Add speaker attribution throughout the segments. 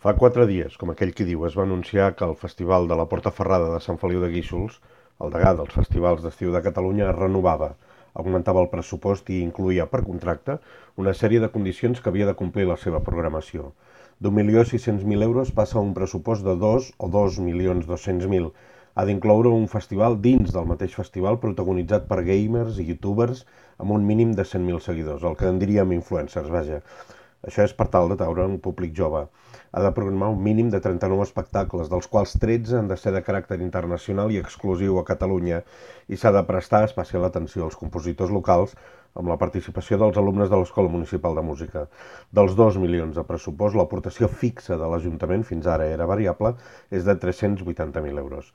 Speaker 1: Fa 4 dies, com aquell qui diu, es va anunciar que el Festival de la Portaferrada de Sant Feliu de Guíxols, el degà dels festivals d'estiu de Catalunya, es renovava, augmentava el pressupost i incluïa per contracte una sèrie de condicions que havia de complir la seva programació. d'1.600.000 euros passa a un pressupost de 2 o 2.200.000. Ha d'incloure un festival dins del mateix festival protagonitzat per gamers i youtubers amb un mínim de 100.000 seguidors, el que en diríem influencers, vaja. Això és per tal d'atraure un públic jove. Ha de programar un mínim de 39 espectacles, dels quals 13 han de ser de caràcter internacional i exclusiu a Catalunya, i s'ha de prestar especial atenció als compositors locals amb la participació dels alumnes de l'Escola Municipal de Música. Dels 2 milions de pressupost, l'aportació fixa de l'Ajuntament, fins ara era variable, és de 380.000 euros.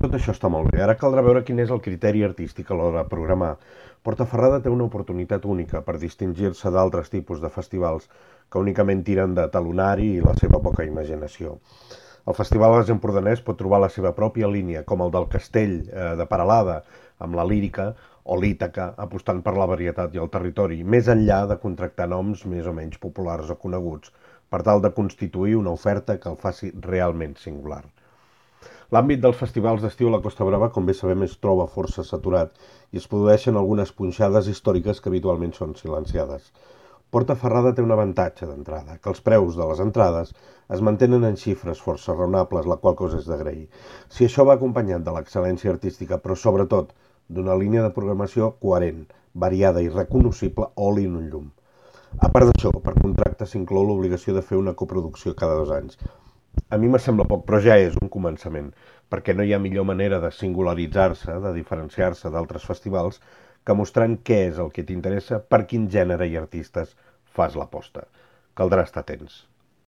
Speaker 1: Tot això està molt bé. Ara caldrà veure quin és el criteri artístic a l'hora de programar. Portaferrada té una oportunitat única per distingir-se d'altres tipus de festivals que únicament tiren de talonari i la seva poca imaginació. El Festival Gas Empordanès pot trobar la seva pròpia línia, com el del Castell de Peralada, amb la lírica, o l'Ítaca, apostant per la varietat i el territori, més enllà de contractar noms més o menys populars o coneguts, per tal de constituir una oferta que el faci realment singular. L'àmbit dels festivals d'estiu a la Costa Brava, com bé sabem, es troba força saturat i es produeixen algunes punxades històriques que habitualment són silenciades. Portaferrada té un avantatge d'entrada, que els preus de les entrades es mantenen en xifres força raonables, la qual cosa és d'agrair. Si això va acompanyat de l'excel·lència artística, però sobretot d'una línia de programació coherent, variada i recognoscible, oli en un llum. A part d'això, per contracte s'inclou l'obligació de fer una coproducció cada 2 anys. A mi me sembla poc, però ja és un començament, perquè no hi ha millor manera de singularitzar-se, de diferenciar-se d'altres festivals, que mostrant què és el que t'interessa, per quin gènere i artistes fas l'aposta. Caldrà estar atents.